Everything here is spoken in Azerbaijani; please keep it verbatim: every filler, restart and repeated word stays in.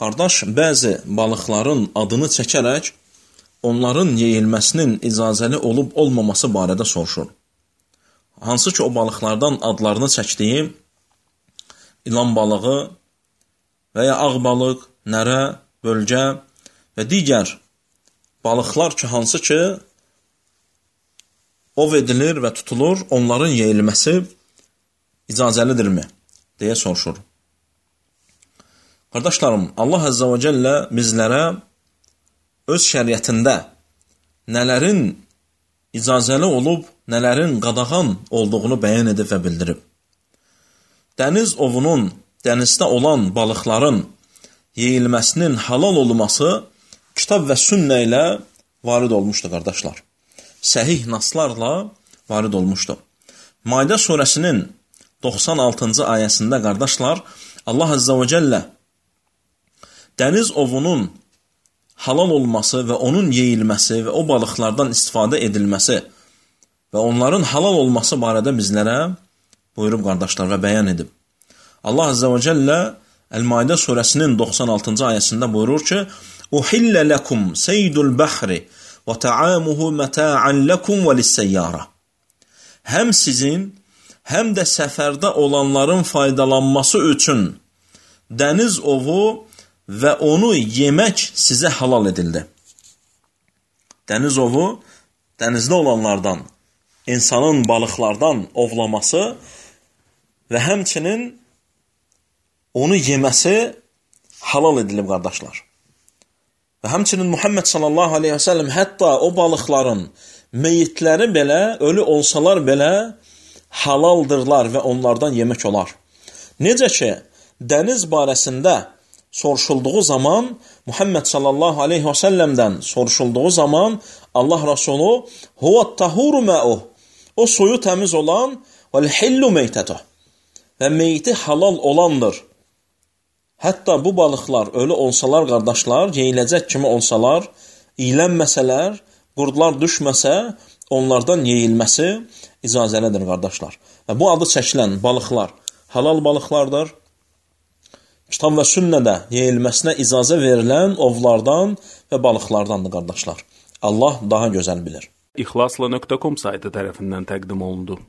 qardaş bəzi balıqların adını çəkərək onların yeyilməsinin icazəli olub olmaması barədə soruşur. Hansı ki o balıqlardan adlarını çəkdiyi ilan balığı və ya ağ balıq, nərə, bölgə və digər balıqlar ki, hansı ki ov edilir və tutulur, onların yeyilməsi icazəlidirmi? Deyə soruşur. Qardaşlarım, Allah Əzzə və Cəllə bizlərə öz şəriətində nələrin icazəli olub, nələrin qadağan olduğunu bəyan edib və bildirib. Dəniz ovunun, dənizdə olan balıqların yeyilməsinin halal olması kitab və sünnə ilə varid olmuşdur, qardaşlar. Səhih naslarla varid olmuşdur. Maidə surəsinin doxsan altıncı ayəsində, qardaşlar, Allah Əzzə və Cəllə dəniz ovunun halal olması və onun yeyilməsi və o balıqlardan istifadə edilməsi və onların halal olması barədə bizlərə buyurub, qardaşlar, və bəyan edib. Allah Əzzə və Cəllə Əl-Maidə surəsinin doxsan altıncı ayəsində buyurur ki, "Uhillə ləkum seydul bəhri və ta'amuhu məta'an ləkum və lisseyyara." Həm sizin, həm də səfərdə olanların faydalanması üçün dəniz ovu və onu yemək sizə halal edildi. Dəniz ovu, dənizdə olanlardan, insanın balıqlardan ovlaması və həmçinin onu yeməsi halal edilib, qardaşlar. Və həmçinin Muhammed sallallahu aleyhi və səlləm hətta o balıqların meyitləri belə, ölü olsalar belə halaldırlar və onlardan yemək olar. Necə ki, dəniz barəsində soruşulduğu zaman, Muhammed sallallahu aleyhi və səlləmdən soruşulduğu zaman Allah Rasulü "Huvət tahuru mə'uh", o suyu təmiz olan, "Vəl-hillu meytətuh", və meyti halal olandır. Hətta bu balıqlar ölü olsalar, qardaşlar, yeyiləcək kimi olsalar, iylənməsələr, qurdlar düşməsə, onlardan yeyilməsi icazəlidir, qardaşlar. Və bu adı çəkilən balıqlar halal balıqlardır. Kitab və sünnədə yeyilməsinə icazə verilən ovlardan və balıqlardandır, qardaşlar. Allah daha gözəl bilir. İxlasla nöqtə com saytı tərəfindən təqdim olundu.